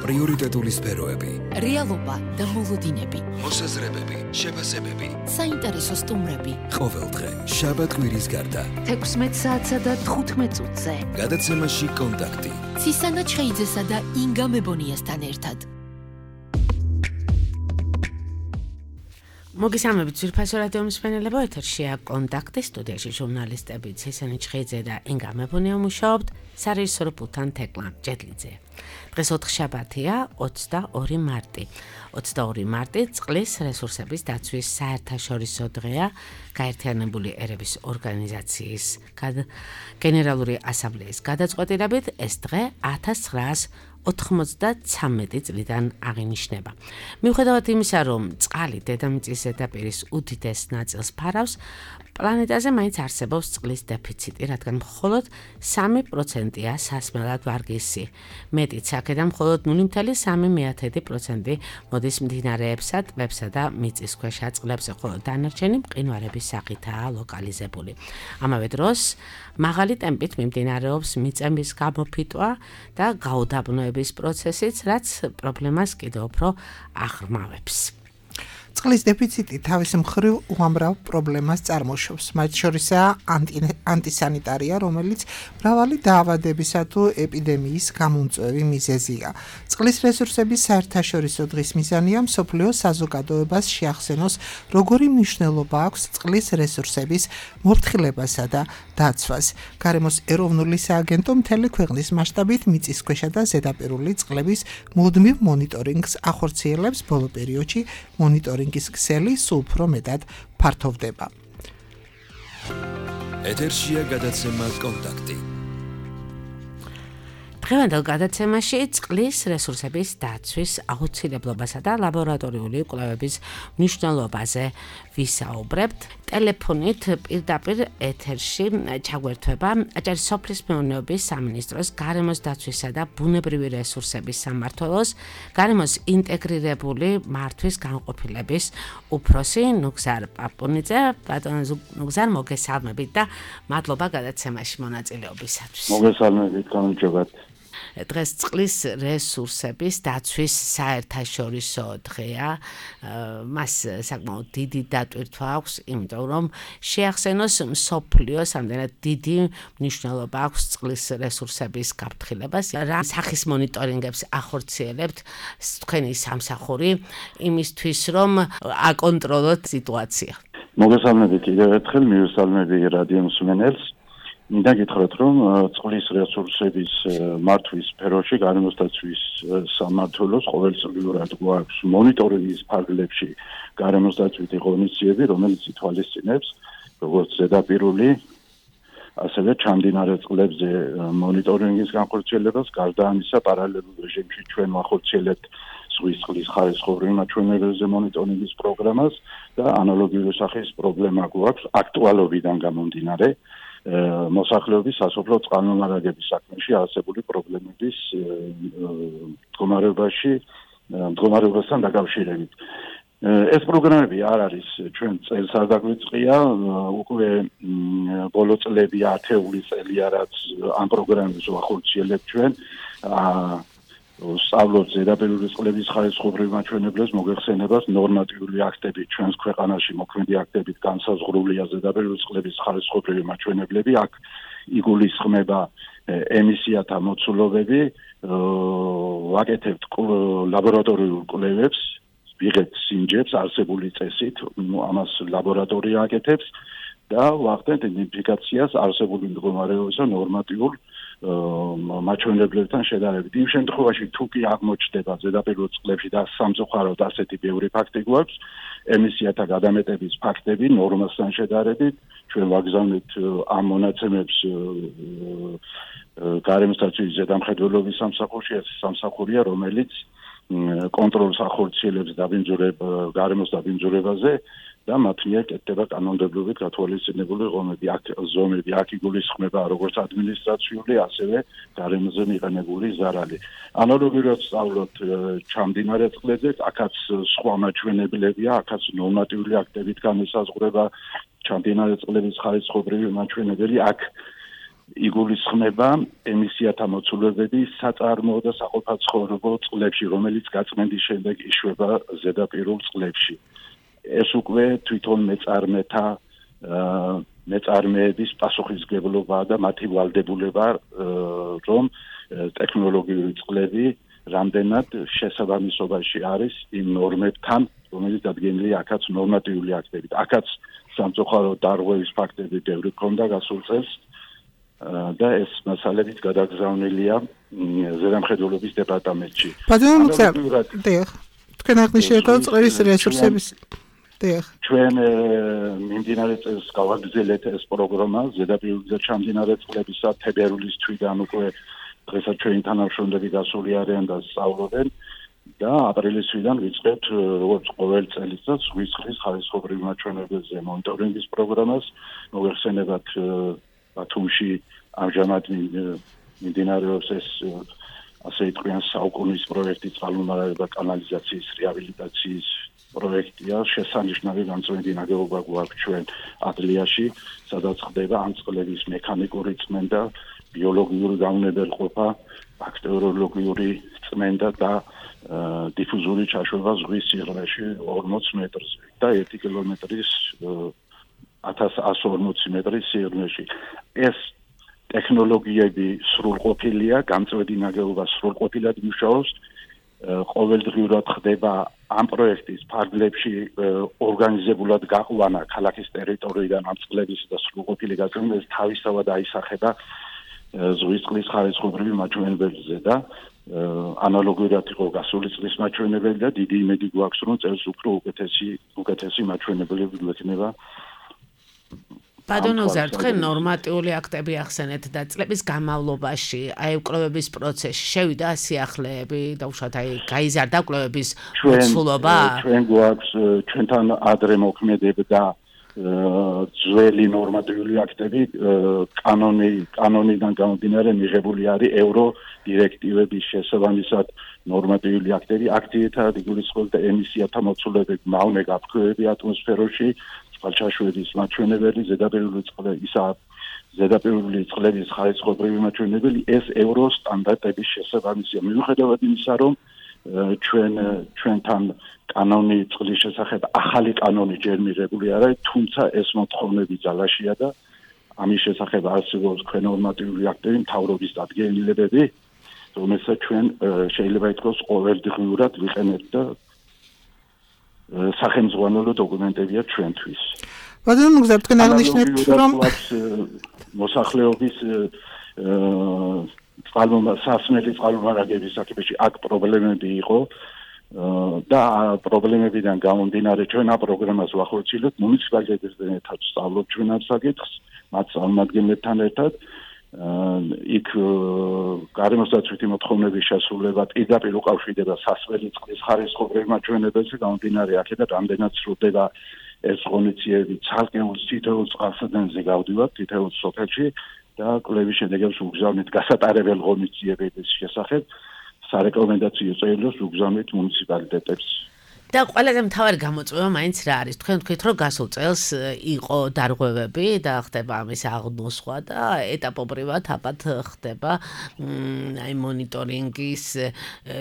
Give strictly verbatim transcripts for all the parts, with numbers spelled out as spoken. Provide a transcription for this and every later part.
პრიორიტეტული სფეროები, რეალობა და მოლოდინები, მოსაზრებები, შეფასებები, საინტერესო სტუმრები. ყოველდღე შაბათ კვირის გარდა თექვსმეტ საათსა და თხუთმეტ წუთზე გადაცემაში კონტაქტი ცისანა ჩხეიძესა და ინგა მებონიასთან ერთად. მოგესალმებით ძვირფასო რადიო მსმენელებო, ეთერშია კონტაქტი, სტუდიაში ჟურნალისტები ცისანა ჩხეიძე და ინგა მებონია მუშაობთ, სარეჟისორო პულტთან თეკლა ჯედლიძე. დღეს ოთხშაბათია, ოცდაორი მარტი. ოცდაორი მარტი წყლის რესურსების დაცვის საერთაშორისო დღეა, გაერთიანებული ერების ორგანიზაციის გენერალური ასამბლეის გადაწყვეტილებით ეს დღე ათას ცხრაას ოთხმოცდათრამეტი წლიდან აღინიშნება. მიუხედავად იმისა, რომ წყალი დედამიწის ზედაპირის უდიდეს ნაწილს ფარავს, პლანეტაზე მაინც არსებობს წყლის დეფიციტი, რადგან მხოლოდ სამი პროცენტია სასმელად ვარგისი. მეტიც აქედან მხოლოდ ნული მცდელობა სამი პროცენტი მოდის მდინარეებსა, ტბებსა და მიწისქვეშა წყლებზე, ხოლო დანარჩენი მყინვარების სახითაა ლოკალიზებული. ამავე დროს მაღალი ტემპით მიმდინარეობს მიწების გამოფიტვა და გაუდაბნოების პროცესიც, რაც პრობლემას კიდევ უფრო აღრმავებს. წყლის დეფიციტი თავის მხრივ უამრავ პრობლემას წარმოშობს. მათ შორისაა ანტისანიტარია, რომელიც მრავალი დაავადებისა თუ ეპიდემიის გამომწვევი მიზეზია. წყლის რესურსების საერთაშორისო დღის მიზანია მსოფლიო საზოგადოებას შეახსენოს, როგორი მნიშვნელობა აქვს წყლის რესურსების მორთხილებასა და დაცვას. გარემოს ეროვნული სააგენტო მთელი ქვეყნის მასშტაბით მიწისქვეშა და ზედაპირული წყლების მუდმივ მონიტორინგს ახორციელებს. ბოლო პერიოდში მონიტორინგის ქსელი სულ უფრო მეტად ფართოვდება. ეთერშია გადაცემა კონტაქტი. დღევანდელ გადაცემაში წყლის რესურსების დაცვის აუცილებლობასა და ლაბორატორიული კვლევების მნიშვნელობაზე ვისაუბრებთ. ტელეფონით პირდაპირ ეთერში ჩაგვერთვება აჭარის სოფლის მეურნეობის სამინისტროს გარემოს დაცვისა და ბუნებრივი რესურსების სამმართველოს გარემოს ინტეგრირებული მართვის განყოფილების უფროსი ნუგზარ პაპუნიძე. ბატონო ნუგზარ, მოგესალმებით და მადლობა გადაცემაში მონაწილეობისათვის. მოგესალმებით, გამარჯობათ. დღეს წყლის რესურსების დაცვის საერთაშორისო დღეა. მას საკმაოდ დიდი დატვირთვა აქვს, იმიტომ რომ შეახსენოს მსოფლიოს ამდენად დიდი მნიშვნელობა აქვს წყლის რესურსების გაფრთხილებას. რა სახის მონიტორინგებს ახორციელებთ თქვენი სამსახური იმისთვის, რომ აკონტროლოთ სიტუაცია? მოგესალმებით კიდევ ერთხელ, მივესალმები რადიო მსმენელს. მინდა გითხრათ, რომ წყლის რესურსების მართვის სფეროში გარემოს დაცვის სამმართველოს ყოველწლიურად გვაქვს მონიტორინგის ფარგლებში გარემოს დაცვითი ღონისძიებები, რომელიც ითვალისწინებს როგორც ზედაპირული, ასევე ჩამდინარე წყლებზე მონიტორინგის განხორციელებას. გარდა ამისა, პარალელურ რეჟიმში ჩვენ ვახორციელებთ ზღვის წყლის ხარისხობრივი მაჩვენებელზე მონიტორინგის პროგრამას და ანალოგიური სახის პრობლემა გვაქვს აქტუალობიდან გამომდინარე. მოსახლეობის სასოფლო წყალმომარაგების საქმეში არსებული პრობლემების მდგომარეობაში მდგომარეობასთან დაკავშირებით. ეს პროგრამები არ არის ჩვენ წელს არ დაგვიწყია, უკვე ბოლო წლები ათეული წელია, რაც ამ პროგრამებს ვახორციელებთ ჩვენ. სწავლობთ ზედაპირული წყლების ხარისხობრივ მაჩვენებლებს მოგეხსენებას ნორმატიული აქტები ჩვენს ქვეყანაში მოქმედი აქტებით განსაზღვრულია ზედაპირული წყლების ხარისხობრივი მაჩვენებლები. აქ იგულისხმება ემისიათა მოცულობები, ვაკეთებთ ლაბორატორიულ კვლევებს, ვიღებთ სიმჯებს არსებული წესით, ამას ლაბორატორია აკეთებს და ვახდენთ იდენტიფიკაციას არსებული მდგომარეობისა ნორმატიულ მაჩვენებლებთან შედარებით. იმ შემთხვევაში თუ კი აღმოჩნდება ზედაპირულ წყლებში და სამწუხაროდ ასეთი ბევრი ფაქტი გვაქვს, ემისიათა გადამეტების ფაქტები ნორმასთან შედარებით, ჩვენ ვაგზავნებთ ამ მონაცემებს გარემოს დაცვის ზედამხედველობის სამსახურში. ეს სამსახურია, რომელიც კონტროლს ახორციელებს დაბინძურებ გარემოს დაბინძურებაზე და მათ მიერ კეთდება კანონმდებლობით გათვალისწინებული ღონები, აქ ზომები, აქ იგულისხმება როგორც ადმინისტრაციული, ასევე გარემოზე მიყენებული ზარალი. ანალოგიურად სწავლობთ ჩამდინარე წყლებზე, აქაც სხვა მაჩვენებლებია, აქაც ნორმატიული აქტებით განისაზღვრება ჩამდინარე წყლების ხარისხობრივი მაჩვენებელი. აქ იგულისხმება ემისიათა მოცულობები საწარმოო და საყოფაცხოვრებო წყლებში, რომელიც გაწმენდის შემდეგ იშვება ზედაპირულ წყლებში. ეს უკვე თვითონ მეწარმეთა მეწარმეების პასუხისმგებლობაა და მათი ვალდებულება, რომ ტექნოლოგიური წყლები რამდენად შესაბამისობაში არის იმ ნორმებთან, რომელიც დადგენილია აქაც ნორმატიული აქტებით. აქაც სამწუხაროდ დარღვევის ფაქტები ბევრი ქონდა გასულ წელს და ეს მასალებით გადაგზავნილია ზედამხედველობის დეპარტამენტში. ბატონო მუხტარ, დიახ. თქვენ აღნიშნეთ წყლის რესურსების დიახ. ჩვენ მიმდინარე წელს გავაგრძელეთ ეს პროგრამა ზედაპირული ჩამდინარე წყლებისა თებერვლის თვიდან უკვე დღესაც ჩვენი თანამშრომლები გასული არიან და სწავლობენ და აპრილის თვიდან ვიწყებთ როგორც ყოველ წელიწად ზღვის წყლის ხარისხობრივ მაჩვენებელზე მონიტორინგის პროგრამას. მოგეხსენებათ ბათუმში ამჟამად მიმდინარეობს ეს ასე თქვენ საუკუნის პროექტი წყალმომარაგება კანალიზაციის რეაბილიტაციის პროექტია. შესანიშნავი განწმენდი ნაგებობა გვაქვს ჩვენ ადლიაში, სადაც ხდება ამ წყლების მექანიკური წმენდა, ბიოლოგიური გაუნებელყოფა, ბაქტერიოლოგიური წმენდა და დიფუზური ჩაშვება ზღვის სიღრმეში ორმოც მეტრზე და ერთი კილომეტრის ათას ათს ორმოცი მეტრის სიღრმეში. ეს ტექნოლოგიები სრულყოფილია, განწმენდი ნაგებობა სრულყოფილად მუშაობს. ყოველდღიურად ხდება ამ პროექტის ფარგლებში ორგანიზებულად გაყვანა ქალაქის ტერიტორიიდან ამ წყლების და სრულყოფილი გაწმენდა თავისთავად აისახება ზღვის წყლის ხარისხობრივი მაჩვენებელზე და ანალოგიურად იყო გასული წლის მაჩვენებელი და დიდი იმედი გვაქვს, რომ წელს უფრო უკეთესი უკეთესი მაჩვენებლები გვექნება. ბატონო გზა, თქვენ ნორმატიული აქტები ახსენეთ და წლების განმავლობაში აი კვლევების პროცესში შევიდა სიახლეები და უშუალოდ აი გაიზარდა კვლევების მოცულობა? ჩვენ გვაქვს ჩვენთან ადრე მოქმედებდა ძველი ნორმატიული აქტები, კანონი კანონიდან გამომდინარე მიღებული არის ევრო დირექტივების შესაბამისად ნორმატიული აქტები. აქტიეთად იგულისხმება ემისიათა მოცულობები, მავნე გაფრქვევები ატმოსფეროში, წყალჩაშვების მაჩვენებელი, ზედაპირული წყლისა, ზედაპირული წყლების ხარისხობრივი მაჩვენებელი, ეს ევრო სტანდარტების შესაბამისია. მიუხედავად იმისა, რომ ჩვენ ჩვენთან კანონი წყლის შესახებ ახალი კანონი ჯერ მიღებული არ არის, თუმცა ეს მოთხოვნები ძალაშია და ამის შესახებ არსებობს ქვენ ნორმატიული აქტები, მთავრობის დადგენილებები, რომელსაც ჩვენ შეიძლება ითქვას ყოველდღიურად ვიყენებთ და სახელმძღვანელო დოკუმენტებია ჩვენთვის. ბატონო გზა, თქვენ აღნიშნეთ, რომ მოსახლეობის სასმელი წყალმომარაგების საკითხში აქ პრობლემები იყო და პრობლემებიდან გამომდინარე ჩვენ ამ პროგრამას ვახორციელებთ მუნიციპალიტეტებთან ერთად სწავლობთ ჩვენ ამ საკითხს, მათ წარმომადგენლებთან ერთად. იქ გარემოსდაცვითი მოთხოვნების შესრულება პირდაპირ უკავშირდება სასმელი წყლის ხარისხობრივ მაჩვენებელზე, გამომდინარე აქედან რამდენად სრულდება ეს ღონისძიებები ცალკეულ თითოეულ წყალსადენზე გავდივართ თითოეულ სოფელში და კვლევის შედეგებს უგზავნით გასატარებელ ღონისძიებების შესახებ სარეკომენდაციო წერილს უგზავნით მუნიციპალიტეტებს. და ყველაზე მთავარი გამოწვევა მაინც რა არის? თქვენ თქვით, რომ გასულ წელს იყო დარღვევები და ხდება ამის აღნოსვა და ეტაპობრივად აბათ ხდება აი მონიტორინგის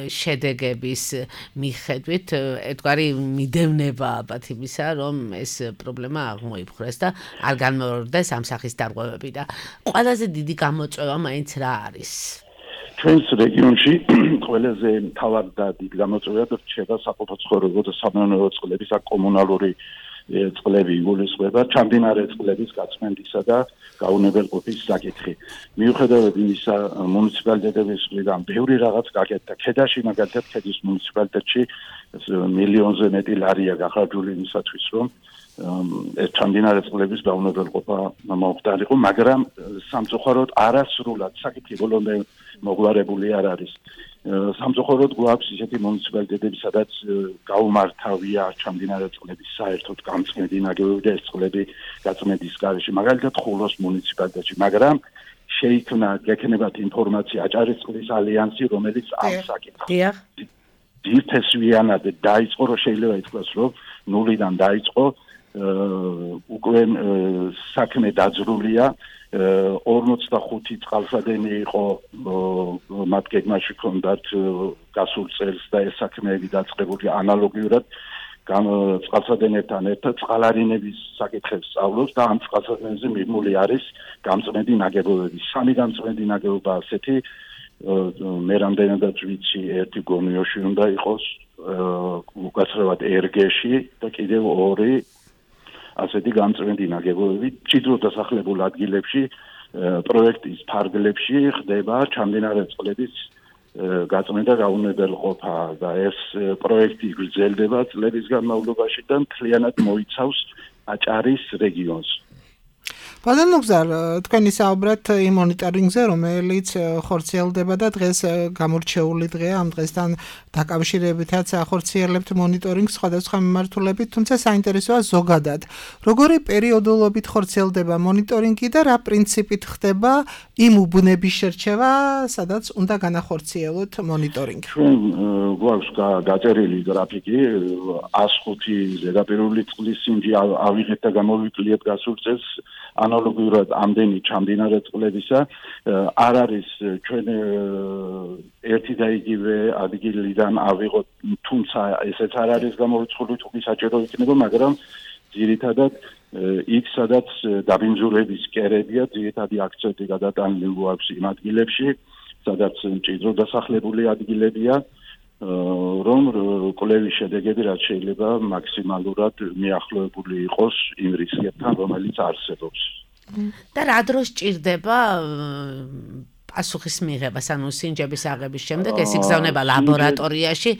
შედეგების მიხედვით ერთგვარი მიდევნება აბათ იმისა, რომ ეს პრობლემა აღმოიფხვრეს და არ განმეორდეს ამ სახის დარღვევები და ყველაზე დიდი გამოწვევა მაინც რა არის? ჩვენს რეგიონში ყველაზე მთავარი და დიდი გამოწვევა რჩება საყოფაცხოვრებო და სამეურნეო წყლების კომუნალური წყლები იგულისხმება, ჩამდინარე წყლების გაწმენდისა და გაუნებელყოფის საკითხი. მიუხედავად იმისა, მუნიციპალიტეტების მხრიდან ბევრი რაღაც გაკეთდა. ქედაში მაგალითად ქედის მუნიციპალიტეტში მილიონზე მეტი ლარია გახარჯული იმისათვის, რომ ეს ჩამდინარე წყლების გაუნებელყოფა მომხდარიყო, მაგრამ სამწუხაროდ არასრულად საკითხი ბოლომდე მოგვარებული არ არის. სამწუხაროდ გვაქვს ისეთი მუნიციპალიტეტები, სადაც გაუმართავია ჩამდინარე წყლების საერთოდ გამწმენდი ნაგებობები და ეს წყლები გაწმენდის გარეშე. მაგალითად ხულოს მუნიციპალიტეტში, მაგრამ შეიქმნა გექნებათ ინფორმაცია აჭარის წყლის ალიანსი, რომელიც ამ საკითხს ძირთესვიანად დაიწყო, რომ შეიძლება ითქვას, რომ ნულიდან დაიწყო უკვე საქმე დაძრულია ორმოცდახუთი წყალსადენი იყო მათ გეგმაში ჰქონდათ გასულ წელს და ეს საქმეები დაწყებული ანალოგიურად წყალსადენებთან ერთად წყალარინების საკითხებს სწავლობს და ამ წყალსადენებზე მიღმული არის გამწმენდი ნაგებობები. სამი გამწმენდი ნაგებობა ასეთი მე რამდენადაც ვიცი ერთი გონიოში უნდა იყოს უკაცრავად ერგეში და კიდევ ორი ასეთი გამწმენდი ნაგებობები მჭიდრო დასახლებულ ადგილებში პროექტის ფარგლებში ხდება ჩამდინარე წყლების გაწმენდა გაუნებელყოფა და ეს პროექტი გრძელდება წლების განმავლობაში და მთლიანად მოიცავს აჭარის რეგიონს. ბატონო გზარ, თქვენი საუბრად იმ მონიტორინგზე, რომელიც ხორციელდება და დღეს გამორჩეული დღეა, ამ დღესთან დაკავშირებითაც ახორციელებთ მონიტორინგს სხვადასხვა მიმართულებით, თუმცა საინტერესოა ზოგადად. როგორი პერიოდულობით ხორციელდება მონიტორინგი და რა პრინციპით ხდება იმ უბნების შერჩევა, სადაც უნდა განახორციელოთ მონიტორინგი? ჩვენ გვაქვს გაწერილი გრაფიკი, ას ხუთი ზედაპირული წყლის სინჯი ავიღეთ და გამოვიკვლიეთ გასულ წელს ანალოგიურად ამდენი ჩამდინარე წყლებისა არ არის ჩვენ ერთი და იგივე ადგილიდან ავიღოთ, თუმცა ესეც არ არის გამორიცხული, თუ საჭირო იქნება, მაგრამ ძირითადად იქ სადაც დაბინძურების კერებია, ძირითადი აქცენტი გადატანილი გვაქვს იმ ადგილებში, სადაც მჭიდრო დასახლებული ადგილებია, რომ კვლევის შედეგები რაც შეიძლება მაქსიმალურად მიახლოებული იყოს იმ რისკებთან, რომელიც არსებობს. და რა დროს ჭირდება პასუხის მიღებას, ანუ სინჯების აღების შემდეგ ეს იგზავნება ლაბორატორიაში,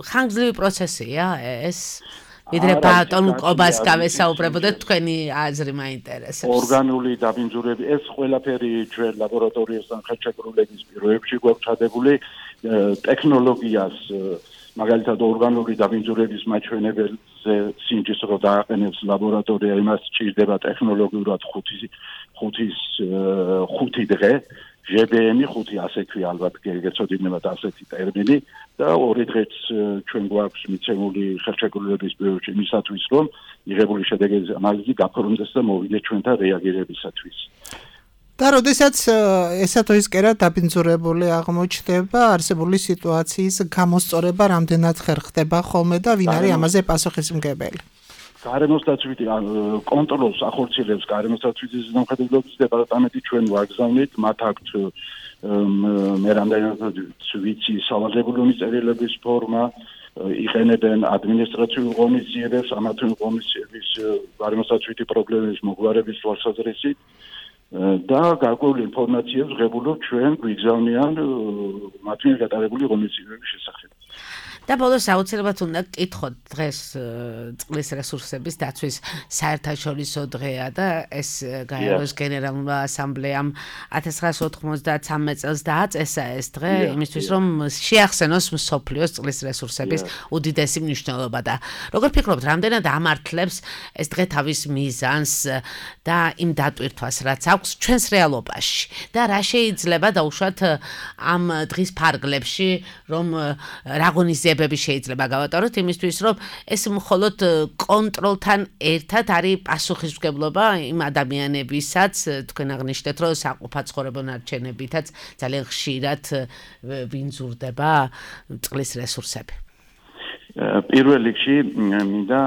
ხანგრძლივი პროცესია ეს? ვიდრე ბატონ კობას გავესაუბრებოდეთ, თქვენი აზრი მაინტერესებს. ორგანული დაბინძურები, ეს ყველაფერი ჩვენ ლაბორატორიასთან ხელშეკრულების პირობებში გვაქვს ჩადებული ტექნოლოგიას, მაგალითად ორგანული დაბინძურების მაჩვენებელზე სინჯის რო დააყენებს ლაბორატორია, იმას სჭირდება ტექნოლოგიურად ხუთის ხუთი დღე, ჟე ბე ემი ხუთი ასე ქვია ალბათ გეცოდინებათ ასეთი ტერმინი და ორი დღეც ჩვენ გვაქვს მიცემული ხელშეკრულების პირობებში იმისათვის, რომ მიღებული შედეგების ანალიზი გაფორმდეს და მოვიდეს ჩვენთან რეაგირებისათვის. და როდესაც ესა თუ ის კერა დაბინძურებული აღმოჩნდება, არსებული სიტუაციის გამოსწორება რამდენად ხერხდება ხოლმე და ვინ არის ამაზე პასუხისმგებელი? გარემოსდაცვითი კონტროლს ახორციელებს გარემოსდაცვითი ზედამხედველობის დეპარტამენტი, ჩვენ ვაგზავნით, მათ აქვთ მე რამდენადაც ვიცი სავალდებულო მიწერილების ფორმა, იყენებენ ადმინისტრაციულ ღონისძიებებს, ამა თუ იმ ღონისძიების გარემოსდაცვითი პრობლემების მოგვარების თვალსაზრისით და გარკვეული ინფორმაციებს ღებულობ ჩვენ გვიგზავნიან მათ მიერ გატარებული ღონისძიებების შესახებ. და ბოლოს აუცილებლად უნდა გკითხოთ დღეს წყლის რესურსების დაცვის საერთაშორისო დღეა და ეს გაეროს გენერალურმა ასამბლეამ ათას ცხრაასი ოთხმოცდათსამე წელს დააწესა ეს დღე იმისთვის რომ შეახსენოს მსოფლიოს წყლის რესურსების უდიდესი მნიშვნელობა და როგორ ფიქრობთ რამდენად ამართლებს ეს დღე თავის მიზანს და იმ დატვირთვას რაც აქვს ჩვენს რეალობაში და რა შეიძლება დაუშვათ ამ დღის ფარგლებში რომ რაგონიზება შეიძლება გავატაროთ იმისთვის, რომ ეს მხოლოდ კონტროლთან ერთად არის პასუხისმგებლობა იმ ადამიანებისაც, თქვენ აღნიშნეთ, რომ საყოფაცხოვრებო ნარჩენებითაც ძალიან ხშირად ვინძურდება წყლის რესურსები. პირველ რიგში მინდა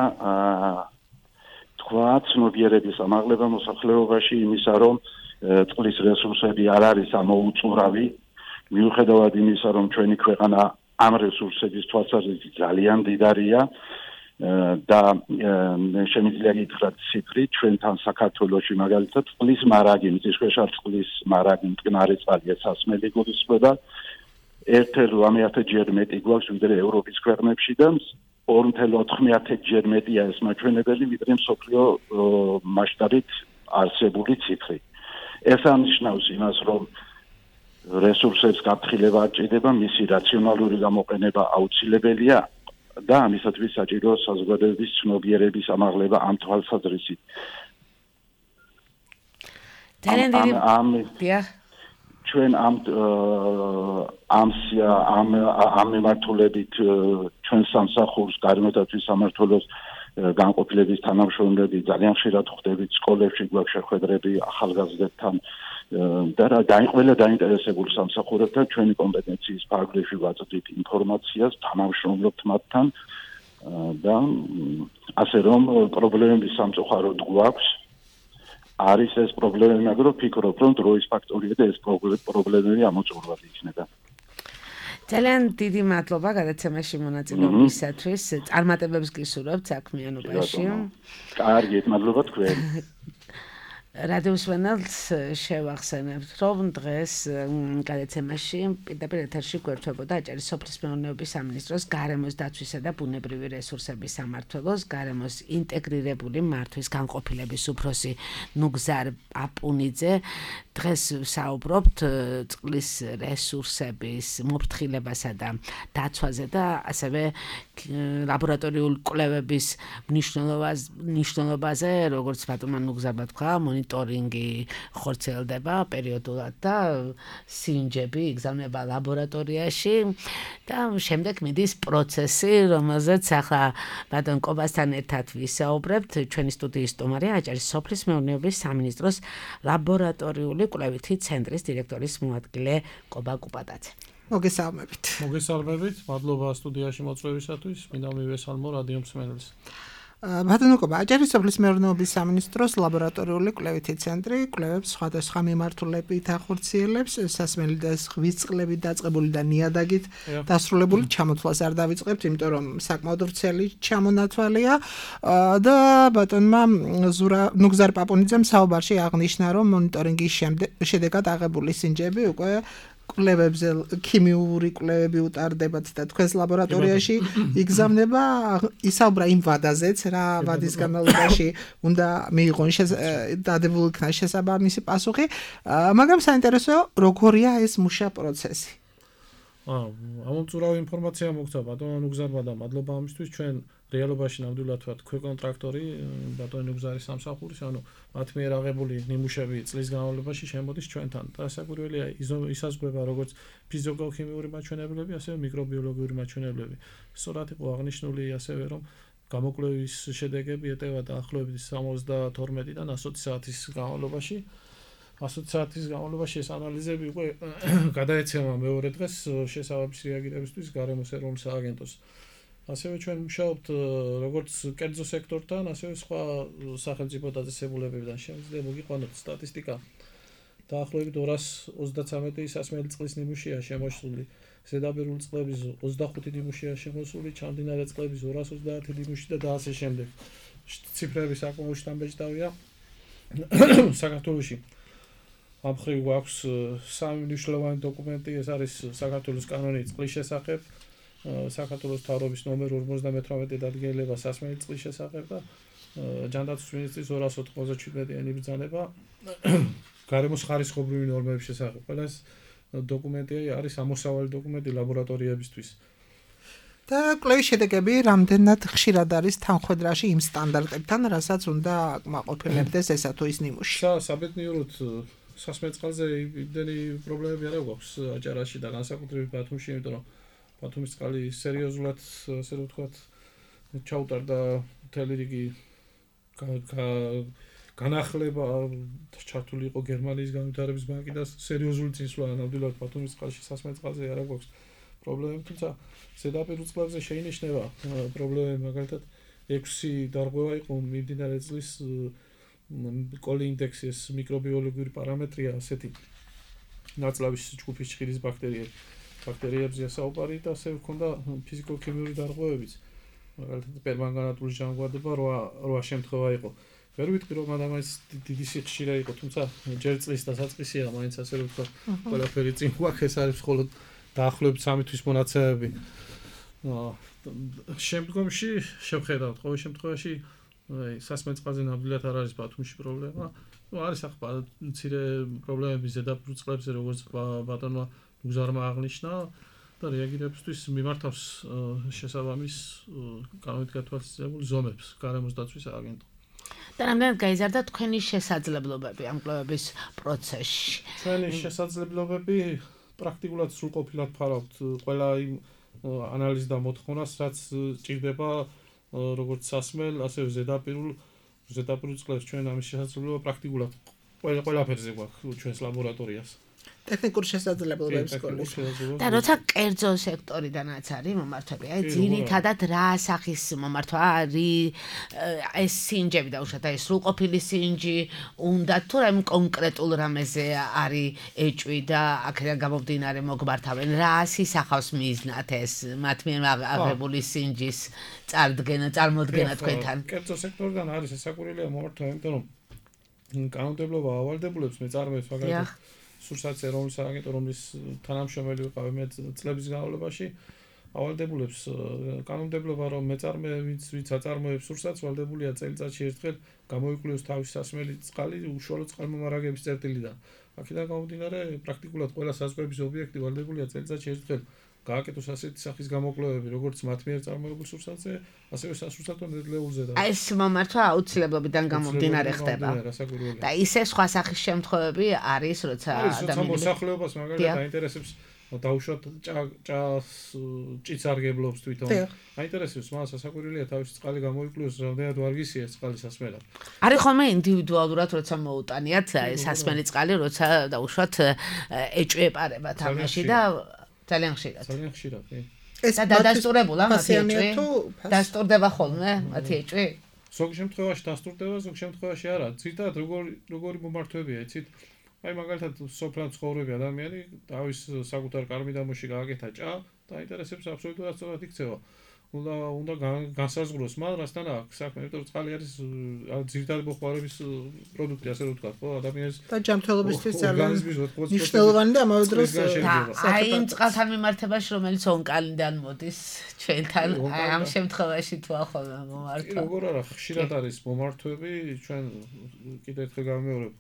თქვა ცნობიერების ამაღლება მოსახლეობაში იმისა, რომ წყლის რესურსები არ არის ამოუწურავი, მიუხედავად იმისა, რომ ჩვენი ქვეყანა ამ რესურსების თვალსაზრისით ძალიან დიდარია და შემიძლია გითხრათ ციფრი ჩვენთან საქართველოში მაგალითად წყლის მარაგი, მიწისქვეშა წყლის მარაგი მტკნარი წყალი სასმელი გულისხმობა ერთი კoma ოთხ მილიონჯერ მეტი გვაქვს ვიდრე ევროპის ქვეყნებში და ორი კoma ოთხ მილიონჯერ მეტია ეს მაჩვენებელი ვიდრე მსოფლიო მასშტაბით არსებული ციფრი. ეს ამნიშნავს იმას, რომ რესურსებს გაფრთხილება არ ჭირდება, მისი რაციონალური გამოყენება აუცილებელია და ამისათვის საჭირო საზოგადოების ცნობიერების ამაღლება ამ თვალსაზრისით. ჩვენ ამ ამ ამ ამ მიმართულებით ჩვენ სამსახურს გარემოდაცვის სამმართველოს განყოფილების თანამშრომლები ძალიან ხშირად ხვდებით სკოლებში გვაქვს შეხვედრები ახალგაზრდებთან და რა ყველა დაინტერესებულ სამსახურებთან ჩვენი კომპეტენციის ფარგლებში ვაწვდით ინფორმაციას, თანამშრომლობთ მათთან და ასე რომ პრობლემების სამწუხაროდ გვაქვს არის ეს პრობლემები, მაგრამ ვფიქრობ, რომ დროის ფაქტორია და ეს პრობლემები ამოწურვადი იქნება. ძალიან დიდი მადლობა გადაცემაში მონაწილეობისათვის. წარმატებებს გისურვებთ საქმიანობაში. კარგით, მადლობა თქვენ. რადიო მსმენელს შევახსენებთ, რომ დღეს გადაცემაში პირდაპირ ეთერში გვერდებოდა აჭარის სოფლის მეურნეობის სამინისტროს გარემოს დაცვისა და ბუნებრივი რესურსების სამმართველოს გარემოს ინტეგრირებული მართვის განყოფილების უფროსი ნუგზარ პაპუნიძე. დღეს ვსაუბრობთ წყლის რესურსების მოფრთხილებასა და დაცვაზე და ასევე ლაბორატორიული კვლევების მნიშვნელობაზე, როგორც ბატონმა ნუგზარმა თქვა, მონიტორინგი ხორციელდება პერიოდულად და სინჯები იგზავნება ლაბორატორიაში და შემდეგ მიდის პროცესი, რომელზეც ახლა ბატონ კობასთან ერთად ვისაუბრებთ. ჩვენი სტუდიის სტუმარია აჭარის სოფლის მეურნეობის სამინისტროს ლაბორატორიული კვლევითი ცენტრის დირექტორის მოადგილე კობა კუპატაძე. მოგესალმებით. მოგესალმებით. მადლობა სტუდიაში მოწვევისათვის. მინდა მივესალმო რადიო მსმენელს. ბატონო კობა, აჭარის სოფლის მეურნეობის სამინისტროს ლაბორატორიული კვლევითი ცენტრი კვლევებს სხვადასხვა მიმართულებით ახორციელებს, სასმელი და ზღვის წყლებით დაწყებული და ნიადაგით დასრულებული ჩამოთვლას არ დავიწყებთ, იმიტომ რომ საკმაოდ ვრცელი ჩამონათვალია და ბატონმა ნუგზარ პაპუნიძემ საუბარში აღნიშნა, რომ მონიტორინგის შედეგად აღებული სინჯები უკვე კვლევებზე ქიმიური კვლევები უტარდებათ და თქვენს ლაბორატორიაში იგზავნება, ისაუბრა იმ ვადაზეც, რა ვადის განმავლობაში უნდა მიიღონ დადებულ იქნა შესაბამისი პასუხი, მაგრამ საინტერესოა, როგორია ეს მუშა პროცესი. ამომწურავი ინფორმაცია მოგცა ბატონ ნუგზარმა და მადლობა ამისთვის. ჩვენ რეალობაში ნამდვილად ვართ ქვეკონტრაქტორი ბატონ ნუგზარის სამსახურის, ანუ მათ მიერ აღებული ნიმუშები წლის განმავლობაში შემოდის ჩვენთან და საკურველია ისაზღვრება როგორც ფიზიკო-ქიმიური მაჩვენებლები, ასევე მიკრობიოლოგიური მაჩვენებლები. სწორად იყო აღნიშნული ასევე, რომ გამოკვლევის შედეგები ეტევა დაახლოებით სამოცდათორმეტიდან ასოცი საათის განმავლობაში. ასოცი საათის განმავლობაში ეს ანალიზები უკვე გადაეცემა მეორე დღეს შესაბამისი რეაგირებისთვის გარემოს ეროვნულ სააგენტოს. ასევე ჩვენ მუშაობთ როგორც კერძო სექტორთან, ასევე სხვა სახელმწიფო დაწესებულებებიდან. შემიძლია მოგიყვანოთ სტატისტიკა. დაახლოებით ორას ოცდათვრამეტი სასმელი წყლის ნიმუშია შემოსული, ზედაპირული წყლების ოცდახუთი ნიმუშია შემოსული, ჩამდინარე წყლების ორას ოცდაათი ნიმუში და ასე შემდეგ. ციფრები საკმაოდ შთამბეჭდავია საქართველოში. ამ მხრივ გვაქვს სამი მნიშვნელოვანი დოკუმენტი, ეს არის საქართველოს კანონი წყლის შესახებ, საქართველოს მთავრობის ნომერ ორმოცდამეთვრამეტი დადგენილება სასმელი წყლის შესახებ და ჯანდაცვის მინისტრის ორას ოთხმოცდაჩვიდმეტიანი ბრძანება გარემოს ხარისხობრივი ნორმების შესახებ. ყველა ეს დოკუმენტი არის ამოსავალი დოკუმენტი ლაბორატორიებისთვის. და კვლევის შედეგები რამდენად ხშირად არის თანხმედრაში იმ სტანდარტებთან, რასაც უნდა აკმაყოფილებდეს ესა თუ ის ნიმუში. საბედნიეროდ სასმელი წყალზე იმდენი პრობლემები არ გვაქვს აჭარაში და განსაკუთრებით ბათუმში, იმიტომ რომ ბათუმის წყალი სერიოზულად, ასე ვთქვათ, ჩაუტარდა მთელი რიგი განახლება, ჩართული იყო გერმანიის განვითარების ბანკი და სერიოზული წინსვლა ნამდვილად ბათუმის წყალში სასმელი წყალზე არ გვაქვს პრობლემები, თუმცა ზედაპირულ წყლებზე შეინიშნება პრობლემები, მაგალითად ექვსი დარღვევა იყო მიმდინარე წლის კოლი ინდექსი, ეს მიკრობიოლოგიური პარამეტრია, ასეთი ნაწლავის ჯგუფის ჭირის ბაქტერიები. ბაქტერიებზეა საუბარი და ასევე ჰქონდა ფიზიკო-ქიმიური დარღვევებიც. მაგალითად პერმანგანატული ჟანგბადება რვა შემთხვევა იყო. ვერ ვიტყვი რომ ადამიანის დიდი სიხშირე იყო, თუმცა ჯერ წლის დასაწყისია, მაინც ასე რომ ვთქვა, ყველაფერი წინ გვაქვს, ეს არის მხოლოდ დაახლოებით სამი თვის მონაცემები. შემდგომში შევხედავთ, ყოველ შემთხვევაში სასმელი წყალზე ნამდვილად არ არის ბათუმში პრობლემა. არის ახლა მცირე პრობლემები ზედაპირულ წყლებზე, როგორც ბატონმა ნუგზარმა აღნიშნა და რეაგირებისთვის მიმართავს შესაბამის კანონით გათვალისწინებულ ზომებს გარემოს დაცვის სააგენტო. და რამდენად გაიზარდა თქვენი შესაძლებლობები ამ კვლევების პროცესში? ჩვენი შესაძლებლობები პრაქტიკულად სრულყოფილად ფარავთ ყველა იმ ანალიზ და მოთხოვნას, რაც ჭირდება როგორც სასმელ, ასევე ზედაპირულ ზედაპირულ წყლებს ჩვენ ამის შესაძლებლობა პრაქტიკულად ყველა ყველაფერზე გვაქვს ჩვენს ლაბორატორიას. ტექნიკურ შესაძლებლობებს გქონდეს. და როცა კერძო სექტორიდანაც არის მომართვები, აი ძირითადად რა სახის მომართვა არის ეს სინჯები და უშუალოდ ეს სრულყოფილი სინჯი უნდა თუ რაიმე კონკრეტულ რამეზე არის ეჭვი და აქედან გამომდინარე მოგმართავენ რა სისახავს მიზნად ეს მათ მიერ აღებული სინჯის წარდგენა წარმოდგენა თქვენთან. კერძო სექტორიდან არის ესაკურელია მომართვა, იმიტომ რომ კანონმდებლობა ავალდებულებს მეწარმეებს მაგალითად სურსათზე რომლის აგენტო რომლის თანამშრომელი ვიყავი მე წლების განმავლობაში ავალდებულებს კანონმდებლობა რომ მეწარმე ვინც ვინც აწარმოებს სურსათს ვალდებულია წელიწადში ერთხელ გამოიკვლიოს თავისი სასმელი წყალი უშუალოდ წყალმომარაგების წერტილიდან. აქედან გამომდინარე პრაქტიკულად ყველა საზღვრების ობიექტი ვალდებულია წელიწადში ერთხელ გააკეთოს ასეთი სახის გამოკვლევები, როგორც მათ მიერ წარმოებულ სურსათზე, ასევე სასურსათო ნედლეულზე და აი ეს მომართვა აუცილებლობიდან გამომდინარე ხდება. და ისე სხვა სახის შემთხვევები არის, როცა ადამიანი მოსახლეობას მაგალითად აინტერესებს დაუშვათ ჭას ჭიცარგებლობს თვითონ. აინტერესებს მას სასაკვირველია თავისი წყალი გამოიკვლიოს, რამდენად ვარგისია წყალი სასმელად. არის ხოლმე ინდივიდუალურად როცა მოუტანიათ სასმელი წყალი, როცა დაუშვათ ეჭვი ეპარება თამაში და ძალიან ხშირად. ძალიან ხშირად, კი. ეს დადასტურებულა მათი ეჭვი? დასტურდება ხოლმე მათი ეჭვი? ზოგ შემთხვევაში დასტურდება, ზოგ შემთხვევაში არა. ძირითადად როგორი როგორი მომართვებია, იცით? აი მაგალითად სოფლად ცხოვრები ადამიანი თავის საკუთარ კარმიდამოში გააკეთა ჭა და აინტერესებს აბსოლუტურად სწორად იქცევა. უნდა უნდა განსაზღვროს მან რასთან აქვს საქმე, იმიტომ რომ წყალი არის ძირითადად მოხმარების პროდუქტი, ასე რომ ვთქვათ, ხო, ადამიანის და ჯანმრთელობისთვის ძალიან მნიშვნელოვანი და ამავე დროს აი იმ წყალთან მიმართებაში, რომელიც ონკალიდან მოდის ჩვენთან, აი ამ შემთხვევაში თუ ახლა მომართვა. როგორ არა, ხშირად არის მომართვები, ჩვენ კიდევ ერთხელ გამეორებ,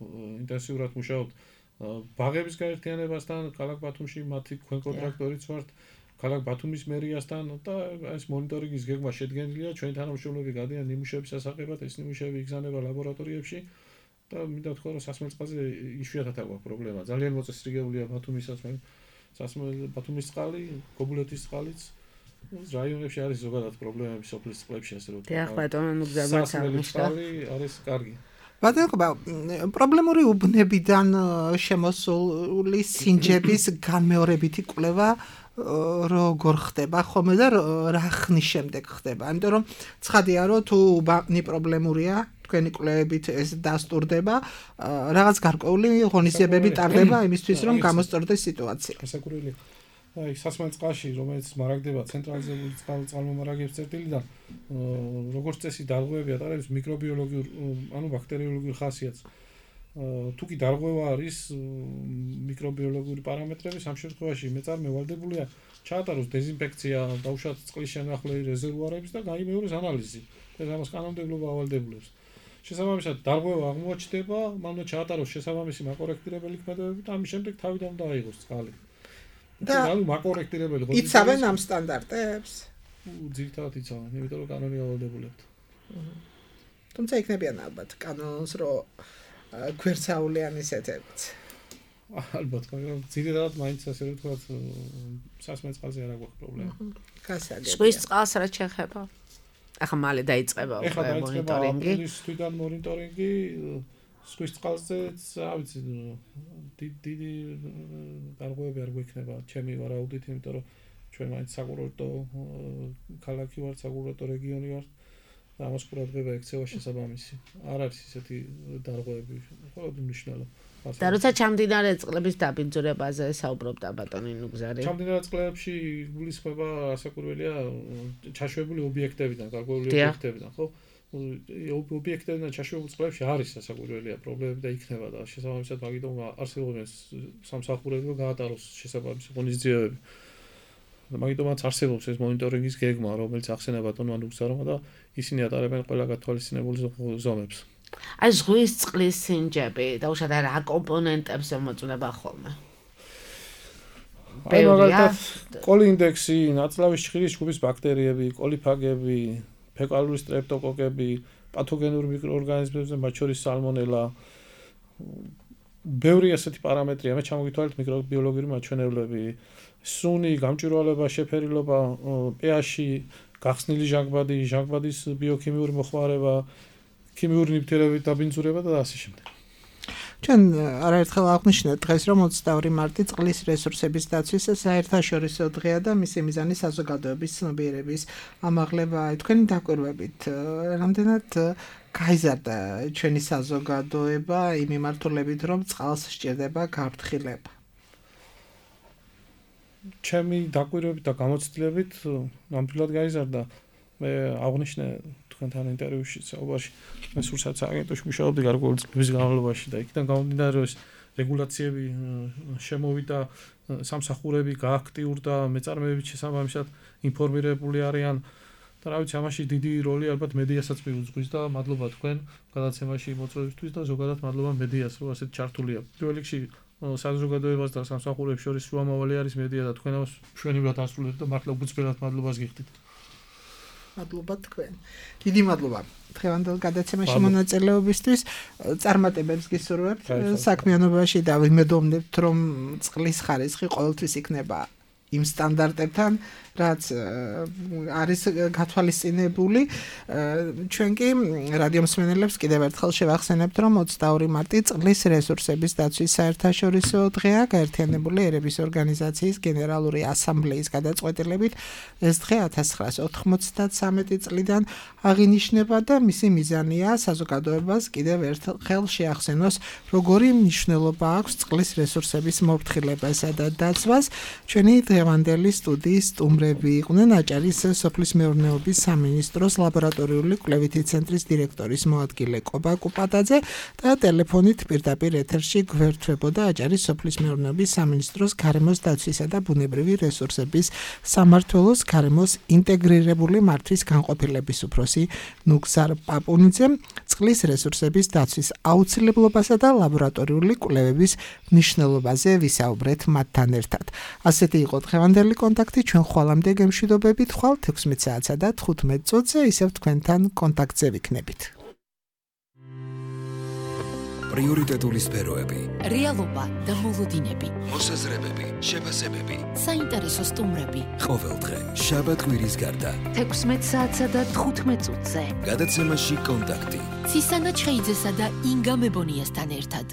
ინტენსიურად მუშაობთ ბაღების გაერთიანებასთან, ქალაქ ბათუმში მათი ქვენ კონტრაქტორიც ვართ. ქალაქ ბათუმის მერიასთან და ეს მონიტორინგის გეგმა შედგენილია, ჩვენი თანამშრომლები გადიან ნიმუშების ასაღებად, ეს ნიმუშები იგზავნება ლაბორატორიებში და მინდა თქვა, რომ სასმელ წყალზე იშვიათად აქვს პრობლემა. ძალიან მოწესრიგებულია ბათუმის სასმელი, სასმელი ბათუმის წყალი, გობულეთის წყალიც. რაიონებში არის ზოგადად პრობლემები სოფლის წყლებში, ასე რომ ვთქვათ. დიახ, ბატონო, ნუგზაბაც აღნიშნა. არის კარგი. ბატონო, პრობლემური უბნებიდან შემოსული სინჯების განმეორებითი კვლევა როგორ ხდება ხოლმე და რა ხნის შემდეგ ხდება? ამიტომ რომ ცხადია რომ თუ უბანი პრობლემურია, თქვენი კვლევებით ეს დასტურდება, რაღაც გარკვეული ღონისძიებები ტარდება იმისთვის რომ გამოსწორდეს სიტუაცია. გასაკურველი. აი სასმელ წყალში, რომელიც მარაგდება ცენტრალიზებული წყალმომარაგების წერტილიდან, როგორც წესი დარღვევები ატარებს მიკრობიოლოგიურ, ანუ ბაქტერიოლოგიურ ხასიათს. თუ კი დარღვევა არის მიკრობიოლოგიური პარამეტრების, ამ შემთხვევაში მეწარმე ვალდებულია ჩაატაროს დეზინფექცია, დაუშვათ წყლის შემნახლელი რეზერვუარების და გაიმეოროს ანალიზი. ეს ამას კანონმდებლობა ავალდებულებს. შესაბამისად, დარღვევა აღმოჩნდება, მანვე ჩაატაროს შესაბამისი მაკორექტირებელი ქმედებები და ამის შემდეგ თავიდან უნდა აიღოს წყალი. და ანუ მაკორექტირებელი ღონისძიებები იცავენ ამ სტანდარტებს? ძირითადად იცავენ, იმიტომ რომ კანონი ავალდებულებთ. თუმცა იქნებიან ალბათ კანონს რომ გვერდსაულიან ისეთებიც. ალბათ, მაგრამ ძირითადად მაინც ასე რომ ვთქვათ, სასმელ წყალზე არ აქვს პრობლემა. გასაგებია. ზღვის წყალს რა შეხება? ახლა მალე დაიწყება უკვე მონიტორინგი. ახლა თვითონ მონიტორინგი ზღვის წყალზეც, რა ვიცი, დიდი დარღვევები არ გვექნება, ჩემი ვარაუდით, იმიტომ რომ ჩვენ მაინც საკურორტო ქალაქი ვართ, საკურორტო რეგიონი ვართ. და ამას ყურადღება ექცევა შესაბამისი. არ არის ისეთი დარღვევები, მხოლოდ მნიშვნელო. და როცა ჩამდინარე წყლების დაბინძურებაზე საუბრობდა ბატონი ნუგზარი. ჩამდინარე წყლებში გულისხმება ასაკურველია ჩაშვებული ობიექტებიდან, გარკვეული ობიექტებიდან, ხო? ობიექტებიდან ჩაშვებულ წყლებში არის ასაკურველია პრობლემები და იქნება და შესაბამისად მაგიტომ არსებობს სამსახურები რომ გაატაროს შესაბამისი ღონისძიებები. მაგიტომაც არსებობს ეს მონიტორინგის გეგმა, რომელიც ახსენება ბატონმა ნუგზარმა და ისინი ატარებენ ყველა გათვალისწინებულ ზომებს. აი ზღვის წყლის სინჯები და უშად რა კომპონენტებს მოწმება ხოლმე. აი მაგალითად კოლინდექსი, ნაწლავის ჭხირის ჯგუფის ბაქტერიები, კოლიფაგები, ფეკალური სტრეპტოკოკები, პათოგენური მიკროორგანიზმებზე, მათ შორის სალმონელა. ბევრი ასეთი პარამეტრია, მე ჩამოგითვალეთ მიკრობიოლოგიური მაჩვენებლები. სუნი, გამჭვირვალება, შეფერილობა, pH-ი, გახსნილი ჟანგბადი, ჟანგბადის ბიოქიმიური მოხმარება, ქიმიური ნივთიერებების დაბინძურება და ასე შემდეგ. ჩვენ არაერთხელ აღვნიშნეთ დღეს, რომ ოცდაორი მარტი წყლის რესურსების დაცვის საერთაშორისო დღეა და მისი მიზანი საზოგადოების ცნობიერების ამაღლებაა. თქვენი დაკვირვებით, რამდენად გაიზარდა ჩვენი საზოგადოება იმ მიმართულებით, რომ წყალს სჭირდება გაფრთხილება? ჩემი დაკვირვებით და გამოცდილებით ნამდვილად გაიზარდა. მე აღვნიშნე თქვენთან ინტერვიუში საუბარში, მე სულსაც აგენტოში მუშაობდი გარკვეული წლების განმავლობაში და იქიდან გამომდინარე, რომ რეგულაციები შემოვიდა, სამსახურები გააქტიურდა, მეწარმეებიც შესაბამისად ინფორმირებული არიან და რა ვიცი, ამაში დიდი როლი ალბათ მედიასაც მიუძღვის და მადლობა თქვენ გადაცემაში მოწვევისთვის და ზოგადად მადლობა მედიას, რომ ასეთ ჩართულია. პირველ რიგში საზოგადოებას და სამსახურებს შორის შუამავალი არის მედია და თქვენ ამას მშვენივრად ასრულებთ და მართლა უგრძელად მადლობას გიხდით. მადლობა თქვენ. დიდი მადლობა დღევანდელ გადაცემაში მონაწილეობისთვის. წარმატებებს გისურვებთ საქმიანობაში და ვიმედოვნებთ, რომ წყლის ხარისხი ყოველთვის იქნება იმ სტანდარტებთან, რაც არის გათვალისწინებული. ჩვენ კი რადიო მსმენელებს კიდევ ერთხელ შევახსენებთ, რომ ოცდაორი მარტი წყლის რესურსების დაცვის საერთაშორისო დღეა, გაერთიანებული ერების ორგანიზაციის გენერალური ასამბლეის გადაწყვეტილებით. ეს დღე ათას ცხრაას ოთხმოცდათსამეტი წლიდან აღინიშნება და მისი მიზანია საზოგადოებას კიდევ ერთხელ შეახსენოს, როგორი მნიშვნელობა აქვს წყლის რესურსების მოფრთხილებასა და დაცვას. ჩვენი დღევანდელი სტუდიის სტუმრები იყვნენ აჭარის სოფლის მეურნეობის სამინისტროს ლაბორატორიული კვლევითი ცენტრის დირექტორის მოადგილე კობა კუპატაძე და ტელეფონით პირდაპირ ეთერში გვერდთვებოდა აჭარის სოფლის მეურნეობის სამინისტროს გარემოს დაცვისა და ბუნებრივი რესურსების სამმართველოს გარემოს ინტეგრირებული მართვის განყოფილების უფროსი ნუგზარ პაპუნიძე. წყლის რესურსების დაცვის აუცილებლობასა და ლაბორატორიული კვლევების მნიშვნელობაზე ვისაუბრეთ მათთან ერთად. ასეთი იყო დღევანდელი კონტაქტი. ჩვენ ხვალამდე გემშვიდობებით, ხვალ თექვსმეტ საათსა და თხუთმეტ წუთზე ისევ თქვენთან კონტაქტზე ვიქნებით. პრიორიტეტული სფეროები, რეალობა და მოლოდინები, მოსაზრებები, შეფასებები, საინტერესო სტუმრები. ყოველდღე შაბათ კვირის გარდა თექვსმეტ საათსა და თხუთმეტ წუთზე. გადაცემაში კონტაქტი. ცისანა ჩხეიძესა და ინგა მებონიასთან ერთად.